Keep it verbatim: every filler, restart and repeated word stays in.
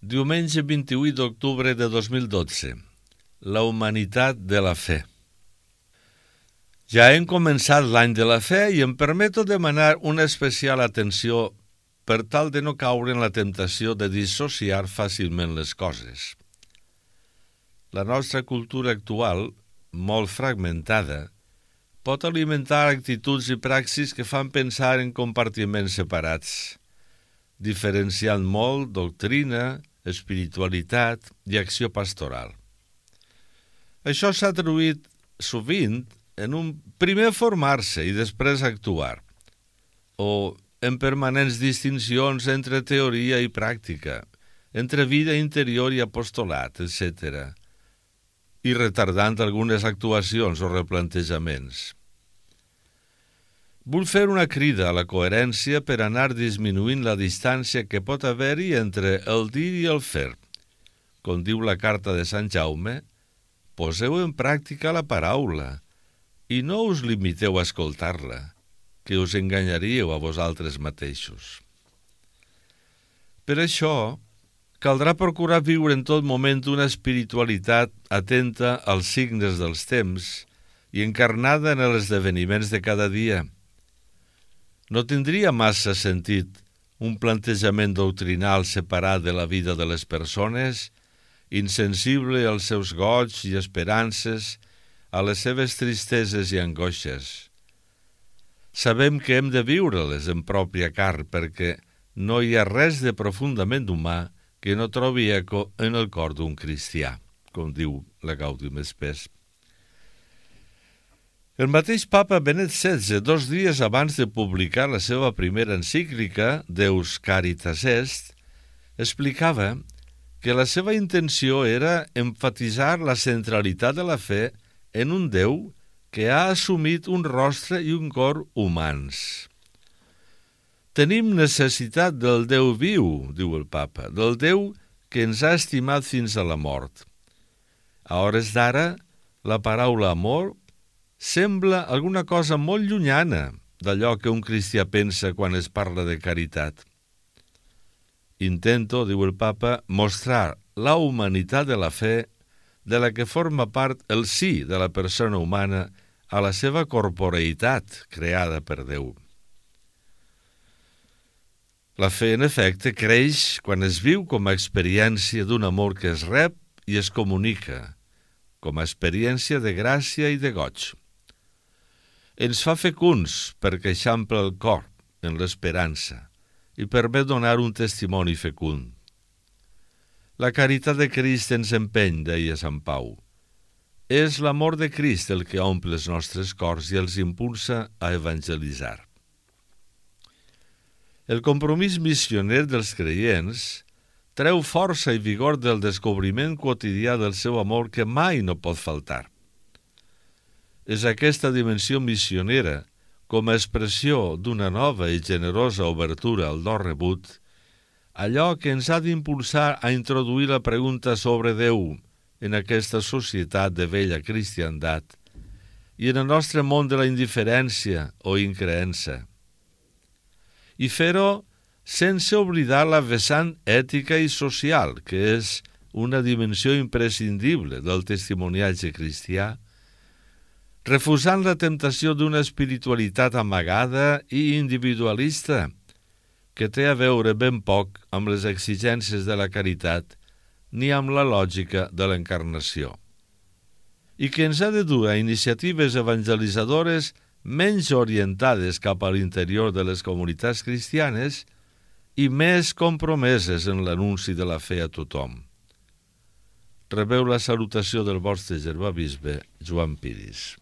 Diumenge vint-i-vuit d'octubre de dos mil dotze. La humanitat de la fe. Ja hem començat l'any de la fe i em permeto demanar una especial atenció per tal de no caure en la temptació de dissociar fàcilment les coses. La nostra cultura actual, molt fragmentada, pot alimentar actituds i praxis que fan pensar en compartiments separats, diferenciant molt doctrina, espiritualitat i acció pastoral. Això s'ha traduït sovint en un primer formar-se i després actuar, o en permanents distincions entre teoria i pràctica, entre vida interior i apostolat, etcètera, i retardant algunes actuacions o replantejaments. Vull fer una crida a la coherència per anar disminuint la distància que pot haver-hi entre el dir i el fer. Com diu la carta de Sant Jaume, poseu en pràctica la paraula i no us limiteu a escoltar-la, que us enganyaríeu a vosaltres mateixos. Per això, caldrà procurar viure en tot moment una espiritualitat atenta als signes dels temps i encarnada en els esdeveniments de cada dia. No tindria massa sentit un plantejament doctrinal separat de la vida de les persones, insensible als seus goigs i esperances, a les seves tristeses i angoixes. Sabem que hem de viure-les en pròpia carn perquè no hi ha res de profundament humà que no trobi eco en el cor d'un cristià, com diu la Gaudium Spes. El mateix papa Benet setze, dos dies abans de publicar la seva primera encíclica, Deus Caritas Est, explicava que la seva intenció era emfatitzar la centralitat de la fe en un Déu que ha assumit un rostre i un cor humans. Tenim necessitat del Déu viu, diu el papa, del Déu que ens ha estimat fins a la mort. A hores d'ara, la paraula amor sembla alguna cosa molt llunyana d'allò que un cristià pensa quan es parla de caritat. Intento, diu el papa, mostrar la humanitat de la fe de la que forma part el sí de la persona humana a la seva corporeïtat creada per Déu. La fe, en efecte, creix quan es viu com a experiència d'un amor que es rep i es comunica, com a experiència de gràcia i de goig. Ens fa fecunds perquè eixampla el cor en l'esperança i permet donar un testimoni fecund. La caritat de Crist ens empeny, deia Sant Pau. És l'amor de Crist el que omple els nostres cors i els impulsa a evangelitzar. El compromís missioner dels creients treu força i vigor del descobriment quotidià del seu amor que mai no pot faltar. És aquesta dimensió missionera, com a expressió d'una nova i generosa obertura al do rebut, allò que ens ha d'impulsar a introduir la pregunta sobre Déu en aquesta societat de vella cristiandat i en el nostre món de la indiferència o increença. I fer-ho sense oblidar la vessant ètica i social, que és una dimensió imprescindible del testimoniatge cristià, refusant la temptació d'una espiritualitat amagada i individualista, que té a veure ben poc amb les exigències de la caritat ni amb la lògica de l'encarnació, i que ens ha de dur a iniciatives evangelitzadores menys orientades cap a l'interior de les comunitats cristianes i més compromeses en l'anunci de la fe a tothom. Rebeu la salutació del vostre germà bisbe, Joan Piris.